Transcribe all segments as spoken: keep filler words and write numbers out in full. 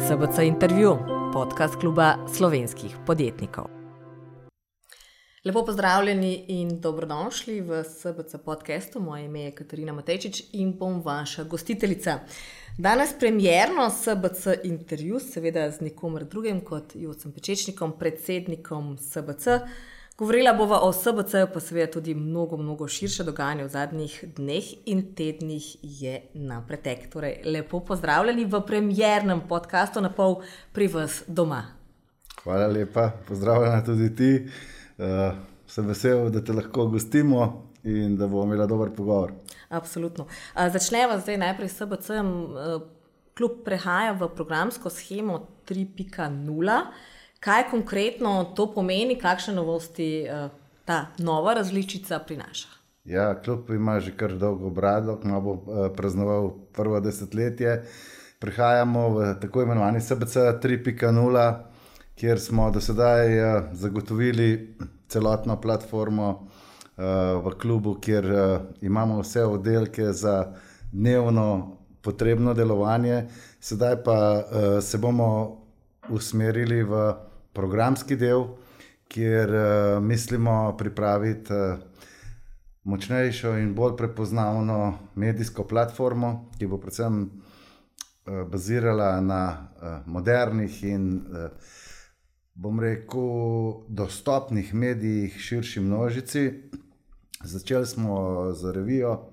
S B C intervju, podcast kluba slovenskih podjetnikov. Lepo pozdravljeni in dobrodošli v S B C podcastu. Moje ime je Katarina Matejčič in bom vaša gostiteljica. Danes premierno S B C intervju, seveda z nikomer drugim kot Jocem Pečečnikom, predsednikom S B C. Govorila bova o S B C, pa seveda tudi mnogo, mnogo širše dogajanje v zadnjih dneh in tednih je na pretek. Torej, lepo pozdravljeni v premiernem podcastu na pol pri vas doma. Hvala lepa, pozdravljena tudi ti. Uh, sem vesel, da te lahko gostimo in da bomo imeli dober pogovor. Absolutno. Uh, začneva zdaj najprej s S B C-em. Uh, klub prehaja v programsko shemo tri pika nula. Kaj konkretno to pomeni, kakšne novosti uh, ta nova različica prinaša? Ja, klub ima že kar dolgo brado, ko bo uh, praznoval prvo desetletje. Prehajamo v tako imenovani S B C tri pika nula, kjer smo do sedaj uh, zagotovili celotno platformo uh, v klubu, kjer uh, imamo vse oddelke za dnevno potrebno delovanje. Sedaj pa uh, se bomo usmerili v programski del, kjer uh, mislimo pripraviti uh, močnejšo in bolj prepoznavno medijsko platformo, ki bo predvsem uh, bazirala na uh, modernih in uh, bom rekel dostopnih medijih širši množici. Začeli smo z revijo,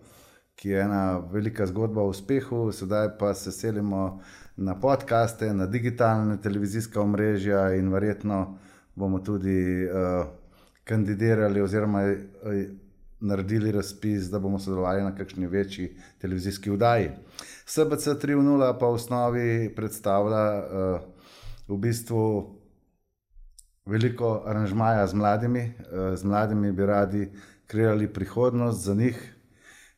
ki je ena velika zgodba o uspehu, sedaj pa se selimo na podcaste, na digitalne televizijska omrežja in verjetno bomo tudi uh, kandidirali oziroma uh, naredili razpis, da bomo sodelovali na kakšni večji televizijski oddaji. S B C tri nula pa v osnovi predstavlja uh, v bistvu veliko aranžmaja z mladimi. Uh, z mladimi bi radi kreirali prihodnost za njih.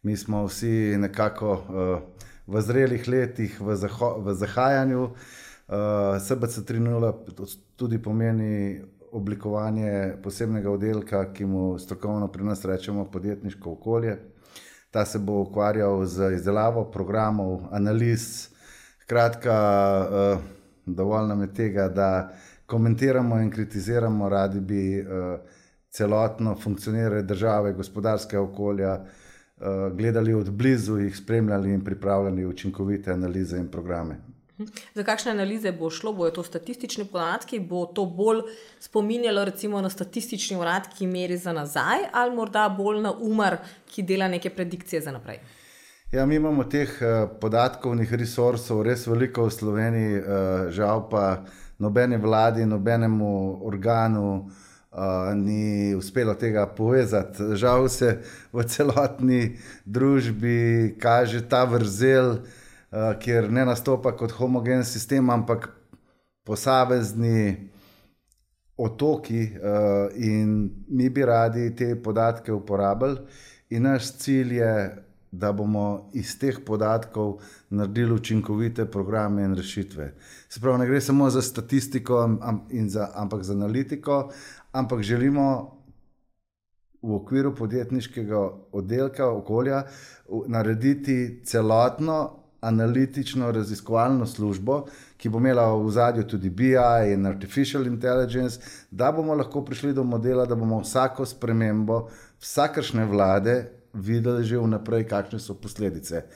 Mi smo vsi nekako uh, v zrelih letih, v, zaho, v zahajanju. Uh, S B C tri nula tudi pomeni oblikovanje posebnega oddelka, ki mu strokovno pri nas rečemo podjetniško okolje. Ta se bo ukvarjal z izdelavo programov, analiz. Kratka, uh, dovolj nam je tega, da komentiramo in kritiziramo, radi bi uh, celotno funkcioniranje države, gospodarskega okolja, gledali od blizu, jih spremljali in pripravljali učinkovite analize in programe. Za kakšne analize bo šlo? Bojo to statistični podatki? Bo to bolj spominjalo recimo na statistični urad, ki meri za nazaj, ali morda bolj na Umar, ki dela neke predikcije za naprej? Ja, mi imamo teh podatkovnih resursov res veliko v Sloveniji, žal pa nobene vladi, nobenemu organu Uh, ni uspelo tega povezati. Žal se v celotni družbi kaže ta vrzel, uh, kjer ne nastopa kot homogen sistem, ampak posamezni otoki uh, in mi bi radi te podatke uporabili in naš cilj je, da bomo iz teh podatkov naredili učinkovite programe in rešitve. Se pravi, ne gre samo za statistiko, in za, ampak za analitiko, ampak želimo v okviru podjetniškega oddelka okolja narediti celotno analitično raziskovalno službo, ki bo imela v ozadju tudi B I in Artificial Intelligence, da bomo lahko prišli do modela, da bomo vsako spremembo vsakršne vlade videli že vnaprej, kakšne so posledice.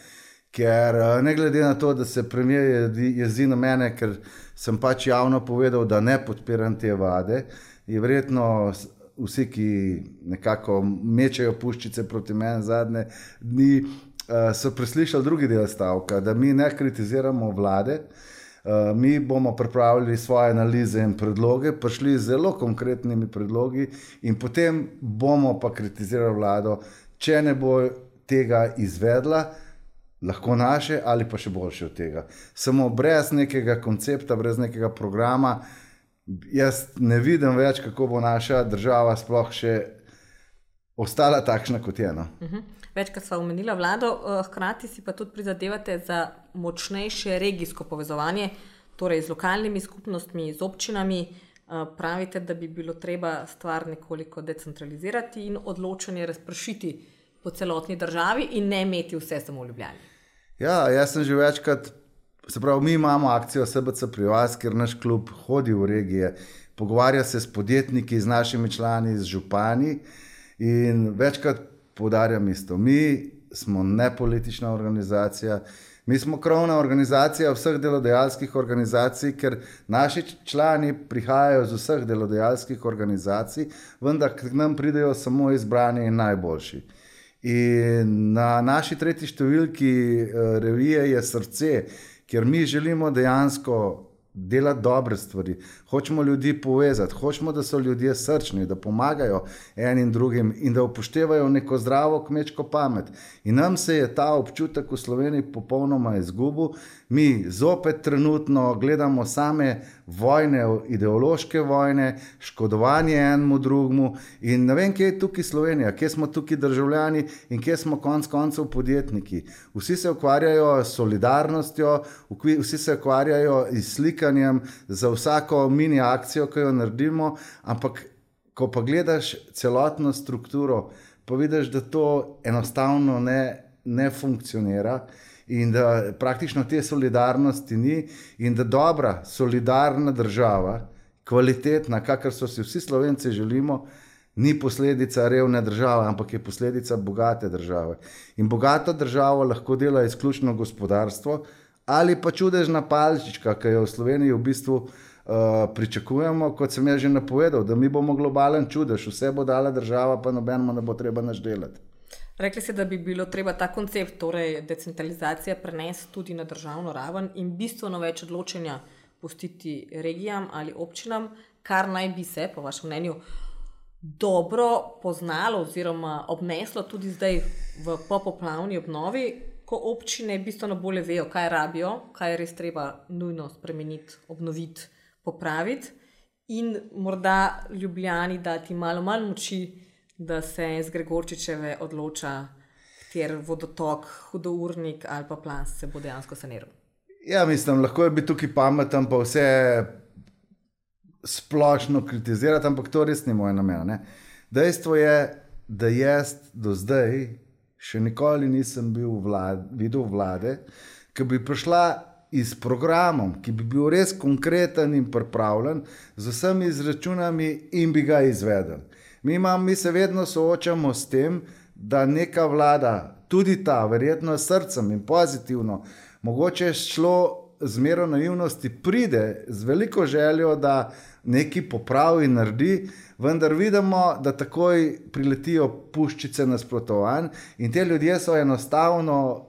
Ker ne glede na to, da se premier jezi na mene, ker sem pač javno povedal, da ne podpiram te vlade, je verjetno vsi, ki nekako mečejo puščice proti meni zadnje dni, so preslišali drugi del stavka, da mi ne kritiziramo vlade, mi bomo pripravili svoje analize in predloge, prišli z zelo konkretnimi predlogi in potem bomo pa kritizirali vlado, če ne bo tega izvedla, lahko naše ali pa še boljše od tega. Samo brez nekega koncepta, brez nekega programa, jaz ne vidim več, kako bo naša država sploh še ostala takšna, kot je. No? Uh-huh. Večkrat sva omenila vlado, hkrati si pa tudi prizadevate za močnejše regijsko povezovanje, torej z lokalnimi skupnostmi, z občinami. Pravite, da bi bilo treba stvar nekoliko decentralizirati in odločanje razpršiti po celotni državi in ne imeti vse samo v Ljubljani. Ja, jaz sem že večkrat se pravi, mi imamo akcijo S B C pri vas, kjer naš klub hodi v regije, pogovarja se s podjetniki, z našimi člani, z župani in večkrat poudarjam isto. Mi smo nepolitična organizacija, mi smo krovna organizacija vseh delodajalskih organizacij, ker naši člani prihajajo z vseh delodajalskih organizacij, vendar k nam pridejo samo izbrani in najboljši. In na naši tretji številki revije je Srce, ker mi želimo dejansko delati dobre stvari, hočemo ljudi povezati, hočemo, da so ljudje srčni, da pomagajo enim drugim in da upoštevajo neko zdravo kmečko pamet. In nam se je ta občutek v Sloveniji popolnoma izgubil. Mi zopet trenutno gledamo same vojne, ideološke vojne, škodovanje enemu drugemu in ne vem, kje je tukaj Slovenija, kje smo tukaj državljani in kje smo konc koncev podjetniki. Vsi se ukvarjajo s solidarnostjo, vsi se ukvarjajo s slikanjem za vsako mini akcijo, ki jo naredimo, ampak ko pa gledaš celotno strukturo, pa vidiš, da to enostavno ne, ne funkcionira in da praktično te solidarnosti ni in da dobra, solidarna država, kvalitetna, kakor so si vsi Slovenci želimo, ni posledica revne države, ampak je posledica bogate države. In bogato državo lahko dela izključno gospodarstvo ali pa čudežna palčička, ki jo v Sloveniji v bistvu uh, pričakujemo, kot sem jaz že napovedal, da mi bomo globalen čudež, vse bo dala država, pa nobenemu ne bo treba nič delati. Rekli ste, da bi bilo treba ta koncept, torej decentralizacija, prenesti tudi na državno raven in bistveno več odločenja pustiti regijam ali občinam, kar naj bi se, po vašem mnenju, dobro poznalo oziroma obneslo tudi zdaj v popoplavni obnovi, ko občine bistveno bolje vejo, kaj rabijo, kaj je res treba nujno spremeniti, obnoviti, popraviti in morda Ljubljani dati malo manj moči, da se z Gregorčičeve odloča, kjer vodotok, hudournik ali pa plaz se bo dejansko saniral. Ja, mislim, lahko je biti tukaj pameten, pa vse splošno kritizirati, ampak to res ni moj namen. Ne? Dejstvo je, da jaz do zdaj še nikoli nisem bil vlad, videl vlade, ki bi prišla iz programom, ki bi bil res konkreten in pripravljen, z vsemi izračunami in bi ga izvedel. Mi, imam, mi se vedno soočamo s tem, da neka vlada, tudi ta, verjetno s srcem in pozitivno, mogoče šlo z mero naivnosti, pride z veliko željo, da nekaj popravi in naredi, vendar vidimo, da takoj priletijo puščice nasprotovanj in te ljudje so enostavno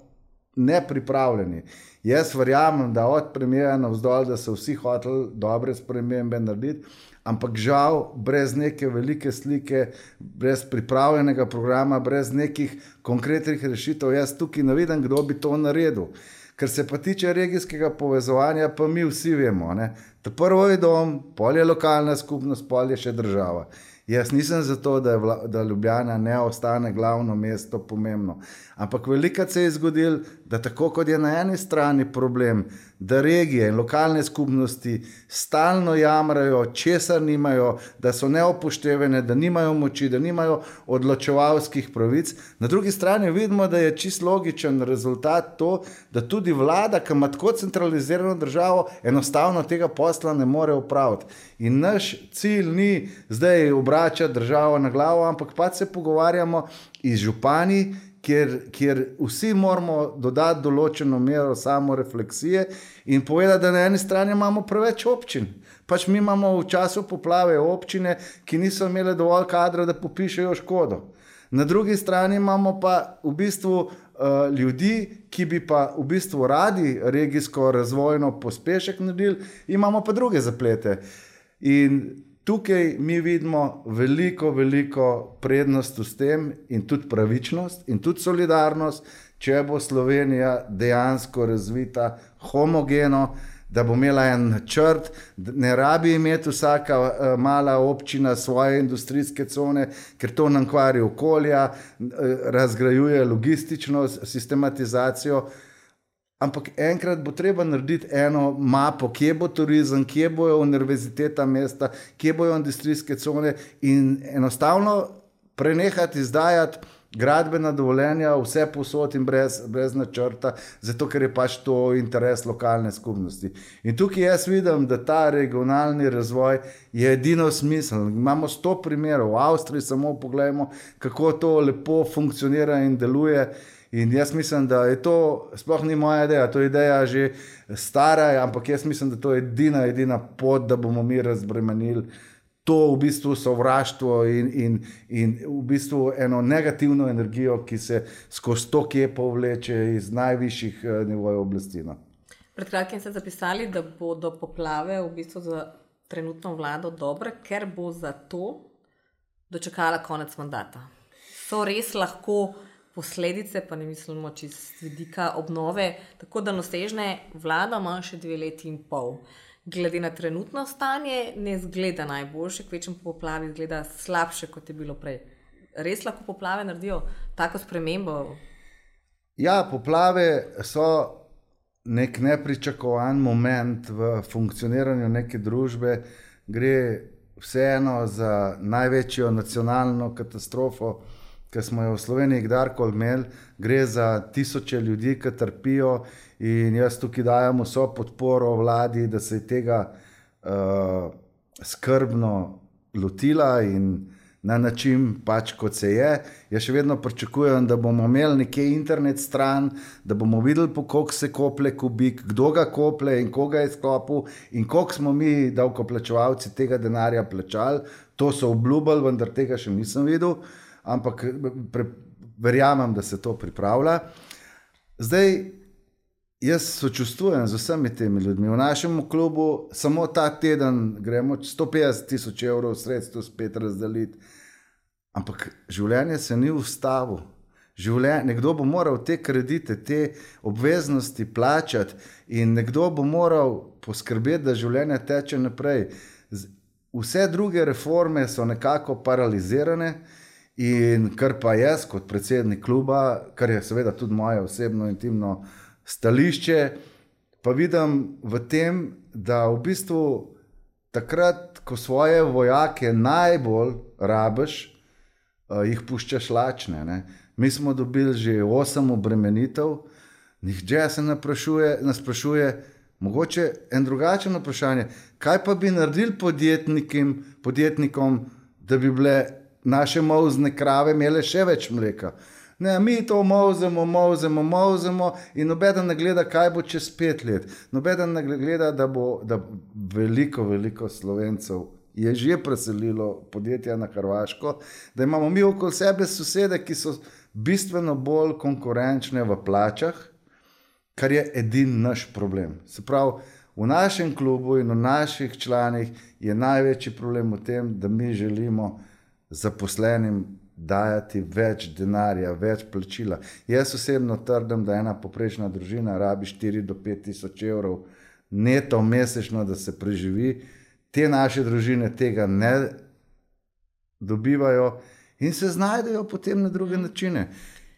nepripravljeni. Jaz verjamem, da od premijera navzdol, da so vsi hoteli dobre spremembe narediti, ampak žal, brez neke velike slike, brez pripravljenega programa, brez nekih konkretnih rešitev, jaz tukaj ne vidim, kdo bi to naredil. Ker se pa tiče regijskega povezovanja, pa mi vsi vemo, ne? Da prvo je dom, pol je lokalna skupnost, pol je še država. Jaz nisem za to, da, je, da Ljubljana ne ostane glavno mesto pomembno. Ampak velikokrat se je zgodilo, da tako kot je na eni strani problem, da regije in lokalne skupnosti stalno jamrajo, česar nimajo, da so neopoštevene, da nimajo moči, da nimajo odločevalskih pravic. Na drugi strani vidimo, da je čisto logičen rezultat to, da tudi vlada, ki ima tako centralizirano državo, enostavno tega posla ne more opraviti. In naš cilj ni zdaj obračati državo na glavo, ampak pa se pogovarjamo iz župani, Kjer, kjer vsi moramo dodati določeno mero samorefleksije in povedati, da na eni strani imamo preveč občin. Pač mi imamo v času poplave občine, ki niso imele dovolj kadra, da popišejo škodo. Na drugi strani imamo pa v bistvu uh, ljudi, ki bi pa v bistvu radi regijsko razvojno pospešek naredili, imamo pa druge zaplete. In tukaj mi vidimo veliko, veliko prednost s tem in tudi pravičnost in tudi solidarnost, če bo Slovenija dejansko razvita homogeno, da bo imela en načrt, ne rabi imeti vsaka uh, mala občina svoje industrijske cone, ker to nam kvari okolja, uh, razgrajuje logistično sistematizacijo. Ampak enkrat bo treba narediti eno mapo, kje bo turizem, kje bojo univerziteta mesta, kje bojo industrijske cone in enostavno prenehati izdajati gradbena dovoljenja, vse posod in brez, brez načrta, zato ker je pač to interes lokalne skupnosti. In tukaj jaz vidim, da ta regionalni razvoj je edino smiseln. Imamo sto primerov, v Avstriji samo pogledamo, kako to lepo funkcionira in deluje. In jaz mislim, da je to, sploh ni moja ideja, to je ideja že stara, ampak jaz mislim, da to je edina, edina pot, da bomo mi razbremenili to v bistvu sovraštvo in, in, in v bistvu eno negativno energijo, ki se skozi to kjepo vleče iz najvišjih nivojev oblasti. No. Pred kratkim ste zapisali, da bodo poplave v bistvu za trenutno vlado dobre, ker bo za to dočakala konec mandata. So res lahko posledice, pa ne mislimo čist vidika obnove, tako da nosežne vlada ima še dve leti in pol. Glede na trenutno stanje ne zgleda najboljše, kvečem po poplavi zgleda slabše, kot je bilo prej. Res lahko poplave naredijo tako spremembo? Ja, poplave so nek nepričakovan moment v funkcioniranju neke družbe. Gre vseeno za največjo nacionalno katastrofo, ki smo jo v Sloveniji kdarkoli imeli, gre za tisoče ljudi, ki trpijo in jaz tukaj dajem vso podporo vladi, da se je tega uh, skrbno lotila in na način pač kot se je. Jaz še vedno pričakujem, da bomo imeli nekje internet stran, da bomo videli, po koliko se kople kubik, kdo ga kople in koga je skopil in koliko smo mi davkoplačevalci tega denarja plačali. To so obljubili, vendar tega še nisem videl. Ampak pre, verjamem, da se to pripravlja. Zdaj, jaz sočustvujem z vsemi temi ljudmi. V našem klubu samo ta teden gremo sto petdeset tisoč evrov sredstev spet razdeliti. Ampak življenje se ni ustavilo. Življenje, nekdo bo moral te kredite, te obveznosti plačati in nekdo bo moral poskrbeti, da življenje teče naprej. Vse druge reforme so nekako paralizirane. In kar pa jaz kot predsednik kluba, kar je seveda tudi moje osebno intimno stališče, pa vidim v tem, da v bistvu takrat, ko svoje vojake najbolj rabiš, jih puščaš lačne. Ne? Mi smo dobili že osem obremenitev, nihče se ne sprašuje, ne sprašuje, mogoče en drugačen vprašanje, kaj pa bi naredili podjetnikom, podjetnikom, da bi bile naše molzne krave imele še več mleka. Ne, mi to molzemo, molzemo, molzemo in nobeden ne gleda, kaj bo čez pet let. Nobeden ne gleda, da bo da veliko, veliko Slovencev je že preselilo podjetja na Hrvaško, da imamo mi okoli sebe sosede, ki so bistveno bolj konkurenčne v plačah, kar je edin naš problem. Se pravi, v našem klubu in v naših članih je največji problem v tem, da mi želimo zaposlenim dajati več denarja, več plačila. Jaz osebno trdim, da ena poprečna družina rabi štiri do pet tisoč evrov neto mesečno, da se preživi. Te naše družine tega ne dobivajo in se znajdejo potem na druge načine.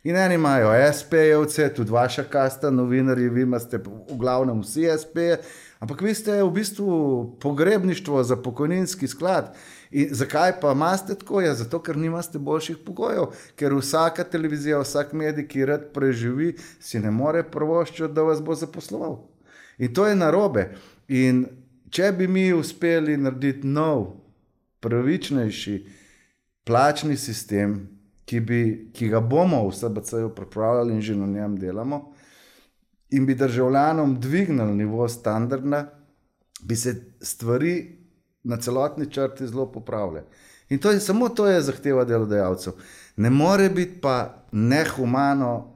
In eni imajo es pe-jevce, tudi vaša kasta, novinarji, vi imate v glavnem vsi es pe-je, ampak vi ste v bistvu pogrebništvo za pokojninski sklad. In zakaj pa imate tako? Ja, zato, ker nimate boljših pogojev, ker vsaka televizija, vsak medij, ki rad preživi, si ne more privoščiti, da vas bo zaposloval. In to je narobe. In če bi mi uspeli narediti nov, pravičnejši plačni sistem, ki, bi, ki ga bomo v es be ce-ju pripravljali in že na njem delamo, in bi državljanom dvignili nivo standarda, bi se stvari na celotni črti zelo popravile. In to je, samo to je zahteva delodajalcev. Ne more biti pa nehumano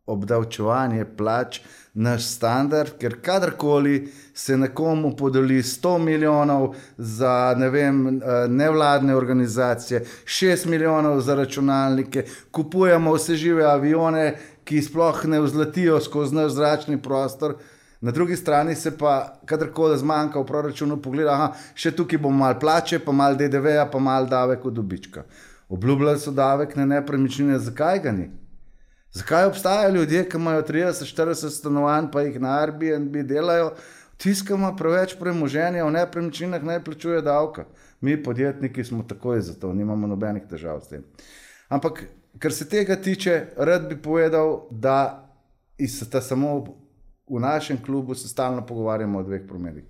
obdavčevanje plač naš standard, ker kadarkoli se nekomu podeli sto milijonov za ne vem, nevladne organizacije, šest milijonov za računalnike, kupujemo vse žive avione, ki sploh ne vzletijo skozi naš zračni prostor. Na drugi strani se pa, kadarkoli zmanjka v proračunu, pogleda, aha, še tukaj bomo malo plače, pa malo de de ve-ja, pa malo davek od dobička. Obljubljali so davek na nepremičnine, zakaj ga ni? Zakaj obstajajo ljudje, ki imajo trideset štirideset stanovanj, pa jih na Airbnb delajo, tisti, ki ima preveč premoženja v nepremičninah, ne plačuje davka. Mi podjetniki smo takoj za to, nimamo nobenih težav s tem. Ampak kar se tega tiče, rad bi povedal, da sta samo v našem klubu se stalno pogovarjamo o dveh primerih.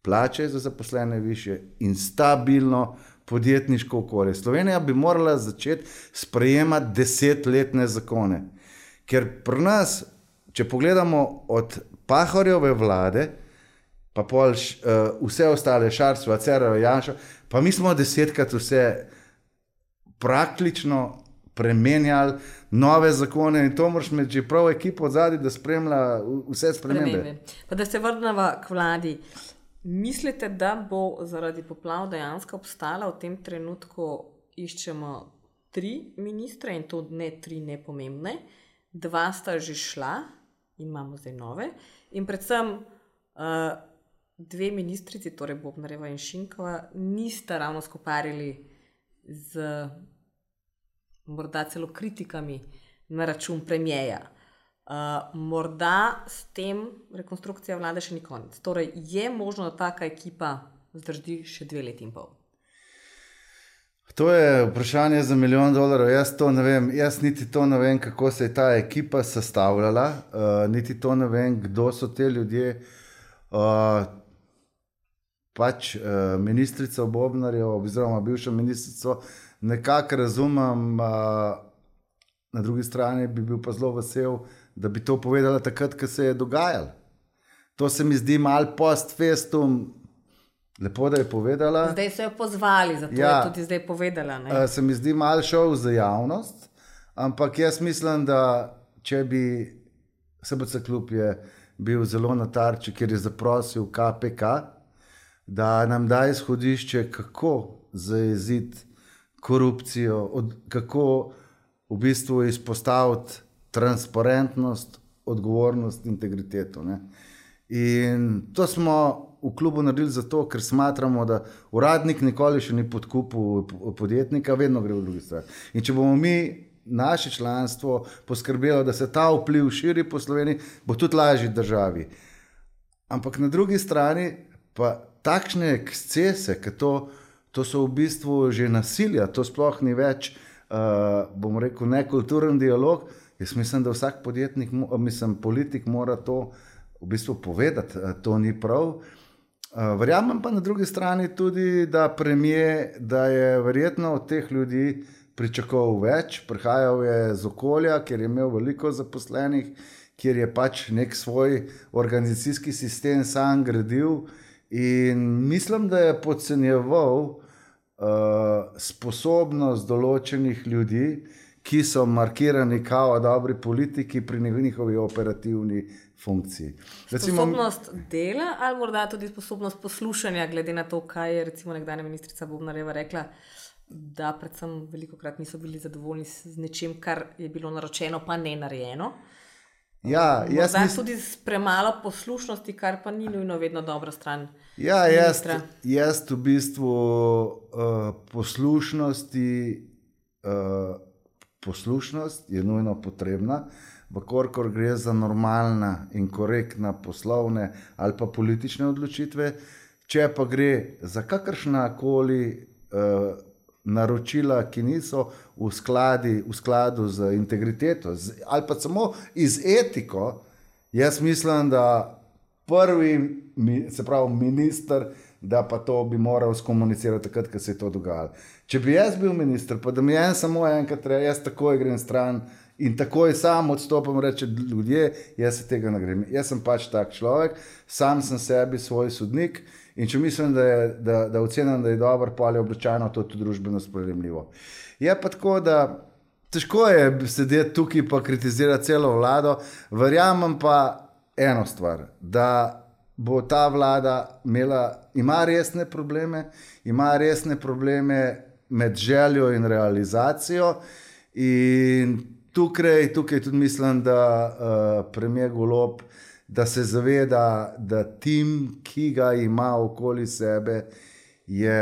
Plače za zaposlene više in stabilno podjetniško okolje. Slovenija bi morala začeti sprejemati desetletne zakone. Ker pri nas, če pogledamo od Pahorjeve vlade, pa pol uh, vse ostale, Šarcova, Cerarjeva, Janša, pa mi smo desetkrat vse praktično premenjali, nove zakone in to moraš imeti že prav ekipo od zadaj, da spremlja vse spremembe. Pa da se vrnemo k vladi. Mislite, da bo zaradi poplav dejansko obstala v tem trenutku, iščemo tri ministre in to ne tri nepomembne, dva sta že šla in imamo zdaj nove in predvsem uh, dve ministrici, torej Bobnarjeva in Šinkova, nista ravno skoparili z morda celo kritikami na račun premijeja. Uh, morda s tem rekonstrukcija vlade še ni konec. Torej, je možno, da taka ekipa zdrži še dve leti in pol? To je vprašanje za milijon dolarjev. Jaz to ne vem. Jaz niti to ne vem, kako se je ta ekipa sestavljala. Uh, niti to ne vem, kdo so te ljudje. Uh, pač uh, ministrica Bobnarjeva, oziroma bivša ministrica, nekako razumem, uh, na drugi strani bi bil pa zelo vesel, da bi to povedala takrat, ko se je dogajalo. To se mi zdi malo post festum, lepo, da je povedala. Zdaj so jo pozvali, zato ja, je tudi zdaj povedala. Ne? Se mi zdi malo šel za javnost, ampak jaz mislim, da če bi S B C klub je bil zelo na tarči, ker je zaprosil K P K, da nam da izhodišče, kako zajeziti korupcijo, od, kako v bistvu izpostaviti transparentnost, odgovornost, integriteto. Ne? In to smo v klubu naredili zato, ker smatramo, da uradnik nikoli še ni podkupil podjetnika, vedno gre v drugi strani. In če bomo mi naše članstvo poskrbelo, da se ta vpliv širi po Sloveniji, bo tudi lažji državi. Ampak na drugi strani pa takšne ekscese, ker to, to so v bistvu že nasilja, to sploh ni več, uh, bom rekel, nekulturen dialog. Jaz mislim, da vsak podjetnik, mislim, politik mora to v bistvu povedati, to ni prav. Verjamem pa na drugi strani tudi, da premijer, da je verjetno od teh ljudi pričakoval več, prihajal je z okolja, kjer je imel veliko zaposlenih, kjer je pač nek svoj organizacijski sistem sam gradil in mislim, da je podcenjeval uh, sposobnost določenih ljudi, ki so markirani kao dobri politiki pri njihovi operativni funkciji. Recimo, sposobnost dela ali morda tudi sposobnost poslušanja, glede na to, kaj je recimo nekdanja ministrica Bobnarjeva rekla, da predvsem velikokrat niso bili zadovoljni z nečim, kar je bilo naročeno, pa ne narejeno. Ja, jaz morda mis... tudi s premalo poslušnosti, kar pa ni nujno vedno dobra stran. Ja, jaz, jaz v bistvu uh, poslušnosti uh, Poslušnost je nujno potrebna, vkolikor gre za normalna in korektna poslovne ali pa politične odločitve, če pa gre za kakršnakoli uh, naročila, ki niso v, skladi, v skladu z integriteto z, ali pa samo iz etiko, jaz mislim, da prvi, se pravi minister, da pa to bi moral skomunicirati takrat, ko se je to dogajalo. Če bi jaz bil minister, pa da mi en samo enkrat reče, jaz takoj grem stran in takoj sam odstopam, reče ljudje, jaz se tega ne grem. Jaz sem pač tak človek, sam sem sebi svoj sodnik in če mislim, da, je, da, da ocenim, da je dober, pa je običajno to tudi družbeno sprejemljivo. Je pa tako, da težko je sedeti tukaj pa kritizirati celo vlado, verjamem pa eno stvar, da bo ta vlada imela, ima resne probleme, ima resne probleme med željo in realizacijo in tukaj, tukaj tudi mislim, da uh, premier Golob, da se zaveda, da tim, ki ga ima okoli sebe, je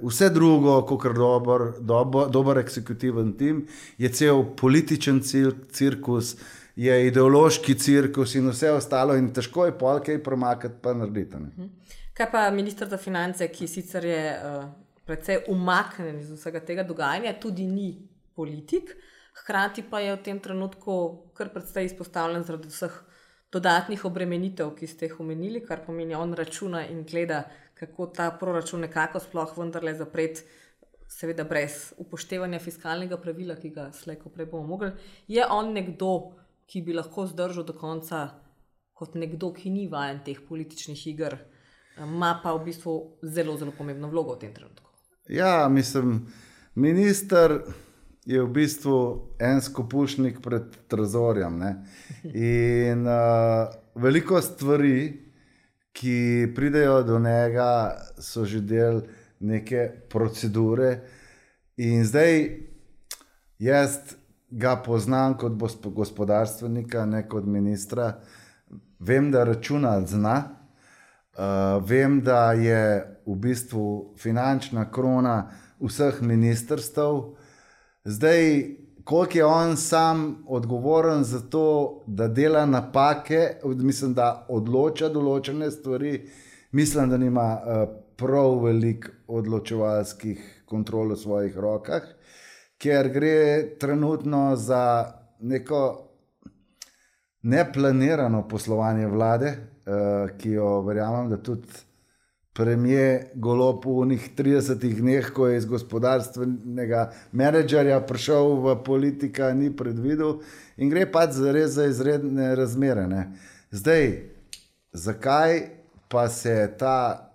vse drugo, kakor dober, dober, dober eksekutiven tim, je cel političen cir, cirkus, je ideološki cirkus in vse ostalo in težko je pol kaj premakati pa narediti. Ne? Kaj pa minister za finance, ki sicer je uh, precej umaknen iz vsega tega dogajanja, tudi ni politik, hkrati pa je v tem trenutku kar predvsej izpostavljen zaradi vseh dodatnih obremenitev, ki ste jih omenili, kar pomeni, on računa in gleda, kako ta proračun nekako sploh vendarle zapreti, seveda brez upoštevanja fiskalnega pravila, ki ga slej ko prej bomo mogli. Je on nekdo, ki bi lahko zdržal do konca kot nekdo, ki ni vajen teh političnih iger, ima pa v bistvu zelo, zelo pomembno vlogo v tem trenutku? Ja, mislim, minister je v bistvu en skopušnik pred trezorjem. Ne? In uh, veliko stvari, ki pridejo do njega, so že del neke procedure. In zdaj jaz ga poznam kot gospodarstvenika, ne kot ministra. Vem, da računa zna. Uh, vem, da je v bistvu finančna krona vseh ministrstev. Zdaj, koliko je on sam odgovoren za to, da dela napake, mislim, da odloča določene stvari, mislim, da nima uh, prav veliko odločevalskih kontrol v svojih rokah, ker gre trenutno za neko neplanirano poslovanje vlade, uh, ki jo verjamem, da tudi premier Golob v unih tridesetih dneh, ko je iz gospodarstvenega menedžerja prišel v politika, ni predvidel in gre pač res za izredne razmere. Ne. Zdaj, zakaj pa se ta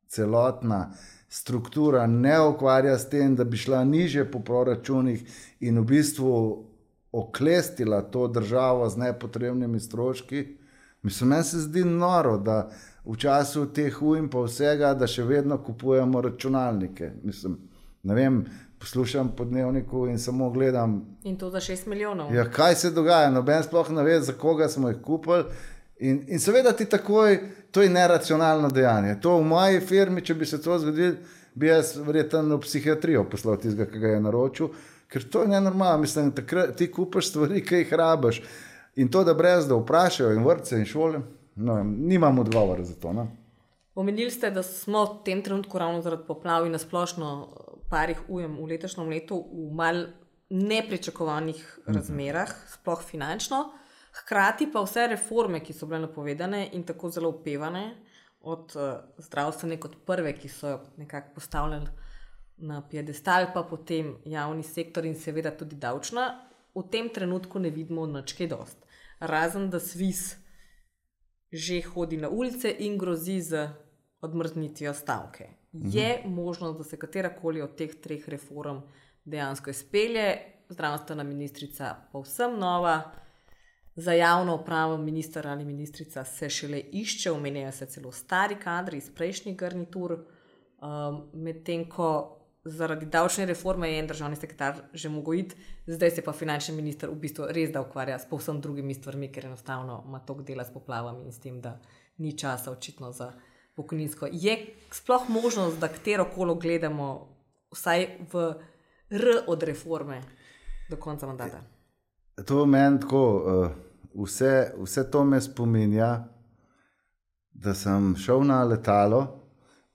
celotna struktura ne ukvarja s tem, da bi šla nižje po proračunih in v bistvu oklestila to državo z nepotrebnimi stroški? Mislim, meni se zdi noro, da v času teh ujm pa vsega, da še vedno kupujemo računalnike. Mislim, ne vem, poslušam po Dnevniku in samo gledam. In to za šest milijonov. Ja, kaj se dogaja? Noben sploh ne ve, za koga smo jih kupili. In, in seveda ti takoj, to je neracionalno dejanje. To v moji firmi, če bi se to zgodilo, bi jaz verjetno v psihiatrijo poslal tistega, ki ga je naročil, ker to je nenormalno. Mislim, takrat ti kupaš stvari, ki jih rabiš. In to, da brez da vprašajo in vrtce in šole, no, nimam odgovora za to. No. Omenili ste, da smo v tem trenutku ravno zaradi poplav in nasplošno parih ujem v letošnjem letu v mal nepričakovanih razmerah, sploh finančno. Hkrati pa vse reforme, ki so bile napovedane in tako zelo opevane, od uh, zdravstvene kot prve, ki so nekako postavljali na piedestal, pa potem javni sektor in seveda tudi davčna, v tem trenutku ne vidimo nič kaj dost. Razen da SVIZ že hodi na ulice in grozi z odmrznitvijo stavke. Mhm. Je možnost, da se katerakoli od teh treh reform dejansko izpelje? Zdravstvena ministrica povsem nova, za javno upravo minister ali ministrica se šele išče, omenjajo se celo stari kadri iz prejšnjih garnitur, um, medtem ko zaradi davčne reforme je en državni sekretar že mogel iti, zdaj se pa finančni minister v bistvu res da ukvarja s povsem drugimi stvarmi, ker enostavno ima toliko dela s poplavami in s tem, da ni časa očitno za pokojninsko. Je sploh možnost, da katerokolo gledamo vsaj v R od reforme do konca mandata? To meni tako, vse, vse to me spominja, da sem šel na letalo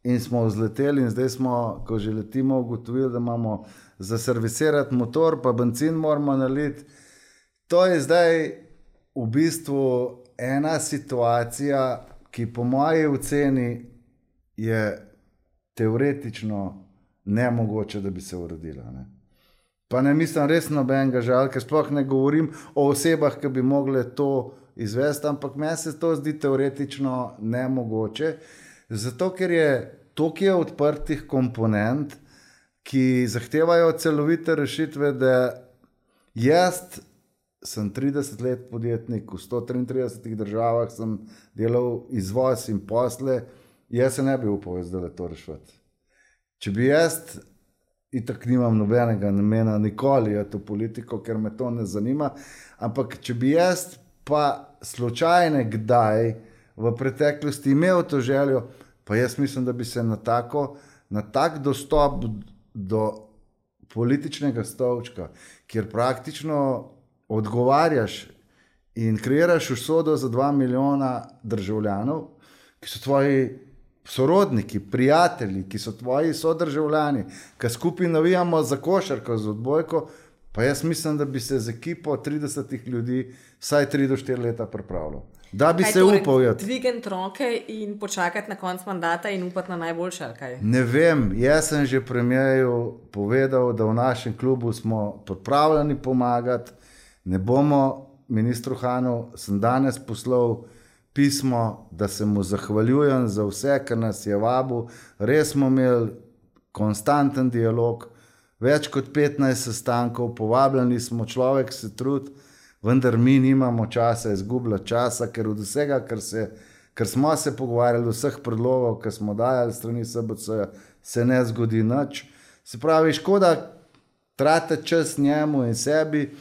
in smo vzleteli in zdaj smo, ko že letimo, ugotovili, da imamo za servisirati motor, pa benzin moramo naliti. To je zdaj v bistvu ena situacija, ki po moji oceni je teoretično nemogoče, da bi se uredila. Ne? Pa ne mislim res nobenega žal, ker sploh ne govorim o osebah, ki bi mogle to izvesti, ampak meni se to zdi teoretično nemogoče. Zato, ker je toliko odprtih komponent, ki zahtevajo celovite rešitve, da jaz sem trideset let podjetnik, v sto triintridesetih državah sem delal izvoz in posle, jaz se ne bi upal zdaj to rešiti. Če bi jaz, itak nimam nobenega namena nikoli v to politiko, ker me to ne zanima, ampak če bi jaz pa slučajno kdaj v preteklosti imel to željo, pa jaz mislim, da bi se na tako, na tak dostop do političnega stolčka, kjer praktično odgovarjaš in kreiraš usodo za dva milijona državljanov, ki so tvoji sorodniki, prijatelji, ki so tvoji sodržavljani, ki skupaj navijamo za košarko, za odbojko, Pa jaz mislim, da bi se z ekipo tridesetih ljudi vsaj tri do štiri leta pripravljal. Da bi kaj se torej, upal. Dvigati roke in počakati na konc mandata in upati na najboljše, ali kaj? Ne vem, jaz sem že premierju povedal, da v našem klubu smo pripravljeni pomagati. Ne bomo ministru Hanu, sem danes poslal pismo, da se mu zahvaljujem za vse, kar nas je vabil. Res smo imeli konstanten dialog, več kot petnajst sestankov, povabljeni smo, človek se trudi, vendar mi nimamo časa izgubljati časa, ker od vsega, kar, se, kar smo se pogovarjali, vseh predlogov, ki smo dajali strani S B C, se ne zgodi nič. Se pravi, škoda tratiti čas njemu in sebi.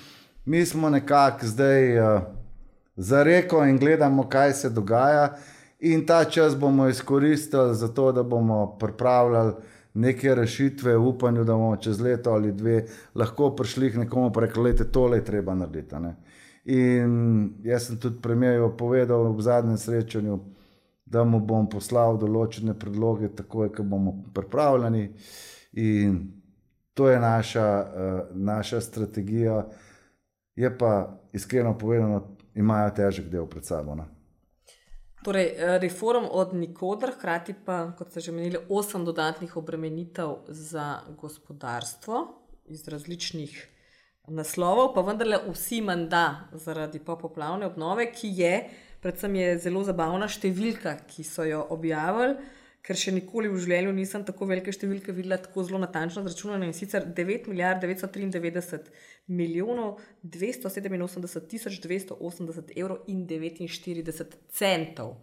Mi smo nekako zdaj uh, za reko in gledamo, kaj se dogaja, in ta čas bomo izkoristili za to, da bomo pripravljali neke rešitve v upanju, da bomo čez leto ali dve lahko prišli k nekomu pa rekli, lejte, tole je treba narediti. Ne? In jaz sem tudi premierju povedal v zadnjem srečanju, da mu bom poslal določene predloge takoj, ko bomo pripravljeni, in to je naša, uh, naša strategija. Je pa iskreno povedano, imajo težek del pred sabo. Ne? Torej, reform od nikoder, hkrati pa, kot ste že menili, osem dodatnih obremenitev za gospodarstvo iz različnih naslovov, pa vendarle vsi menda zaradi popoplavne obnove, ki je, predvsem je zelo zabavna številka, ki so jo objavili, ker še nikoli v življenju nisem tako velike številke videla tako zelo natančno zračunane, in sicer devet milijard devetsto triindevetdeset milijonov dvesto sedeminosemdeset tisoč dvesto osemdeset evrov in devetinštirideset centov.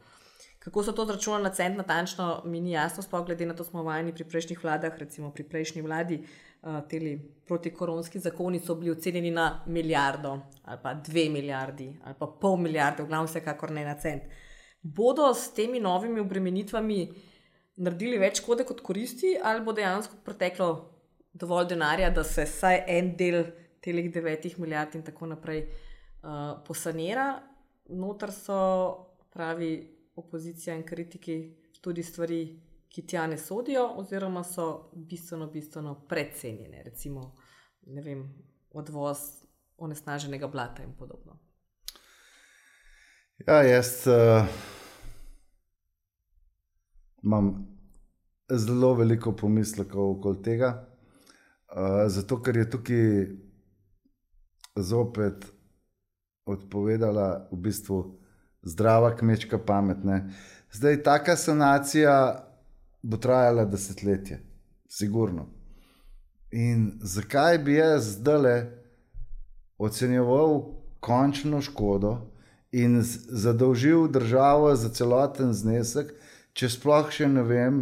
Kako so to zračunali na cent natančno, mi ni jasno, sploh glede na to smo vajeni pri prejšnjih vladah, recimo pri prejšnji vladi, uh, teli protikoronski zakoni so bili ocenjeni na milijardo ali pa dve milijardi ali pa pol milijarde, v glavnem vsekakor ne na cent. Bodo s temi novimi obremenitvami naredili več škode kot koristi, ali bo dejansko preteklo dovolj denarja, da se vsaj en del telih devetih milijard in tako naprej uh, posanira? Notar so, pravi opozicija in kritiki, tudi stvari, ki tja ne sodijo, oziroma so bistveno, bistveno precenjene, recimo, ne vem, odvoz onesnaženega blata in podobno. Ja, jaz uh... imam zelo veliko pomislekov okoli tega, uh, zato ker je tukaj zopet odpovedala v bistvu zdrava kmečka pamet. Ne? Zdaj, taka sanacija bo trajala desetletje, sigurno. In zakaj bi jaz zdajle ocenjeval končno škodo in zadolžil državo za celoten znesek, če sploh še ne vem,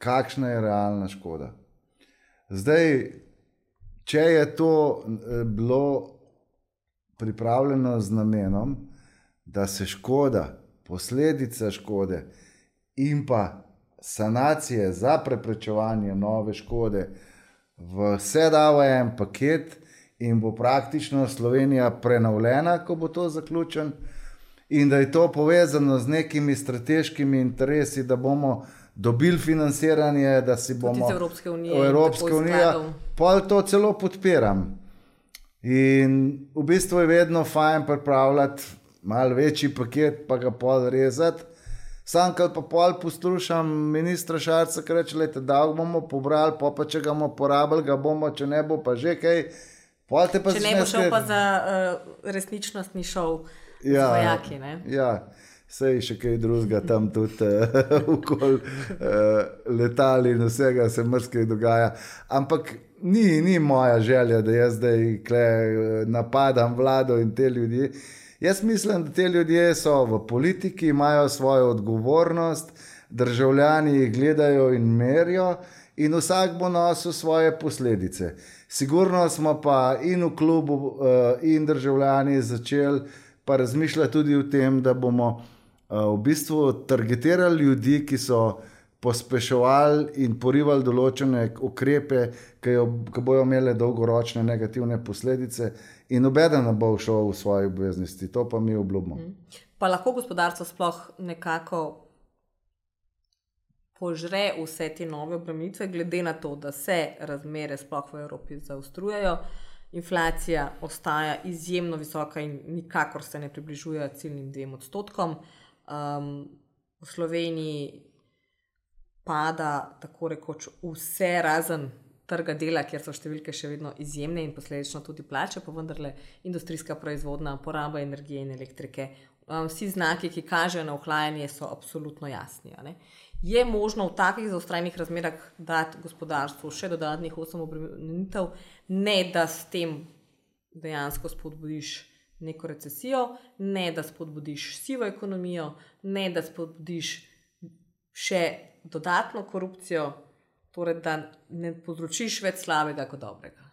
kakšna je realna škoda. Zdaj, če je to bilo pripravljeno z namenom, da se škoda, posledica škode in pa sanacije za preprečevanje nove škode vse da v en paket in bo praktično Slovenija prenovljena, ko bo to zaključen, in da je to povezano z nekimi strateškimi interesi, da bomo dobili financiranje, da si bomo iz Evropske unije, Evropska unija, pol to celo podpiram. In v bistvu je vedno fajn pripravljati malo večji paket, pa ga pol rezati. Sam, kad pa pol poslušam ministra Šarca, ki reče, lejte, da bomo pobrali, pa pa če ga bomo porabili, ga bomo, če ne bo pa že kaj. Pa če ne bo šel pa za uh, resničnostni šov. Ja, vojaki, ne? Ja, sej še kaj drugega tam tudi uh, okoli uh, letali in vsega se mrskaj dogaja. Ampak ni, ni moja želja, da jaz zdaj kle, napadam vlado in te ljudi. Jaz mislim, da te ljudje so v politiki, imajo svojo odgovornost, državljani jih gledajo in merijo in vsak bo nosil svoje posledice. Sigurno smo pa in v klubu uh, in državljani začeli pa razmišljati tudi o tem, da bomo uh, v bistvu targetirali ljudi, ki so pospeševali in porivali določene ukrepe, ki, jo, ki bojo imele dolgoročne negativne posledice, in nobeden ne bo šel v svoje obveznosti. To pa mi obljubimo. Pa lahko gospodarstvo sploh nekako požre vse te nove obremenitve, glede na to, da se razmere sploh v Evropi zaostrujejo, inflacija ostaja izjemno visoka in nikakor se ne približuje ciljnim dvem odstotkom. Um, v Sloveniji pada tako rekoč vse razen trga dela, kjer so številke še vedno izjemne in posledično tudi plače, pa vendarle industrijska proizvodnja, poraba energije in elektrike. Um, vsi znaki, ki kažejo na ohlajanje, so absolutno jasni. A ne? Je možno v takih zaostrenih razmerah dati gospodarstvu še dodatnih osem obremenitev, ne da s tem dejansko spodbudiš neko recesijo, ne da spodbudiš sivo ekonomijo, ne da spodbudiš še dodatno korupcijo, torej da ne povzročiš več slabega kot dobrega.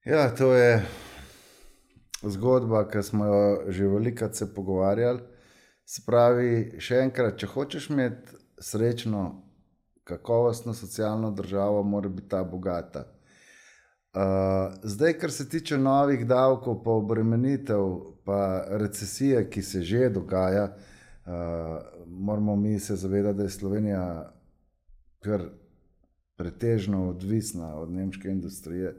Ja, to je zgodba, ki smo jo že velikokrat se pogovarjali. Se pravi, še enkrat, če hočeš imeti srečno, kakovostno socialno državo, mora biti ta bogata. Uh, zdaj, kar se tiče novih davkov, pa obremenitev, pa recesije, ki se že dogaja, uh, moramo mi se zavedati, da je Slovenija kar pretežno odvisna od nemške industrije.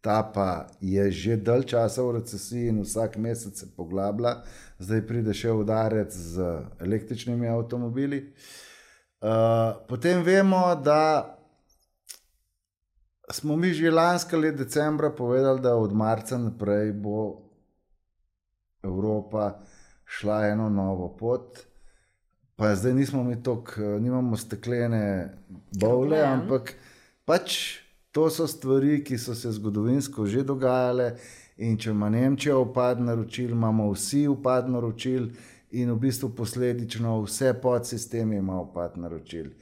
Ta pa je že dalj časa v recesiji in vsak mesec se poglablja. Zdaj pride še udarec z električnimi avtomobili. Uh, potem vemo, da smo mi že lansko let decembra povedali, da od marca naprej bo Evropa šla eno novo pot. Pa zdaj nismo mi toliko, nimamo steklene bovle, ampak pač to so stvari, ki so se zgodovinsko že dogajale in če ima Nemčija upad naročil, imamo vsi upad naročil in v bistvu posledično vse podsistemi ima upad naročil.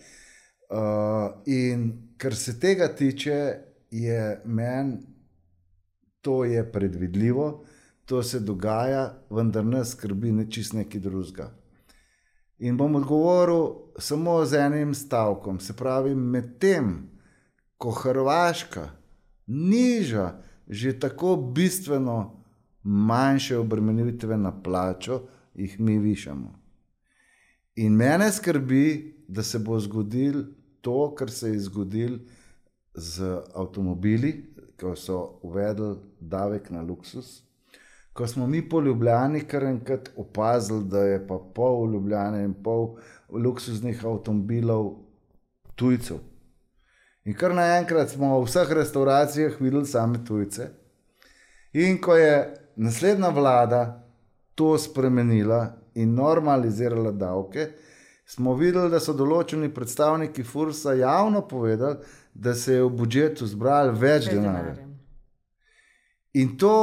Uh, in kar se tega tiče, je meni, to je predvidljivo, to se dogaja, vendar nas skrbi čist nekaj drugega. In bom odgovoril samo z enim stavkom, se pravi, med tem, ko Hrvaška niža že tako bistveno manjše obremenitve na plačo, jih mi višamo. In mene skrbi, da se bo zgodil to, kar se je zgodil z avtomobili, ko so uvedli davek na luksus, ko smo mi po Ljubljani kar enkrat opazili, da je pa pol Ljubljane in pol luksuznih avtomobilov tujcev. In kar naenkrat smo v vseh restauracijah videli same tujce. In ko je naslednja vlada to spremenila in normalizirala davke, smo videli, da so določeni predstavniki Fursa javno povedali, da se je v budžetu zbrali več denarja. In to,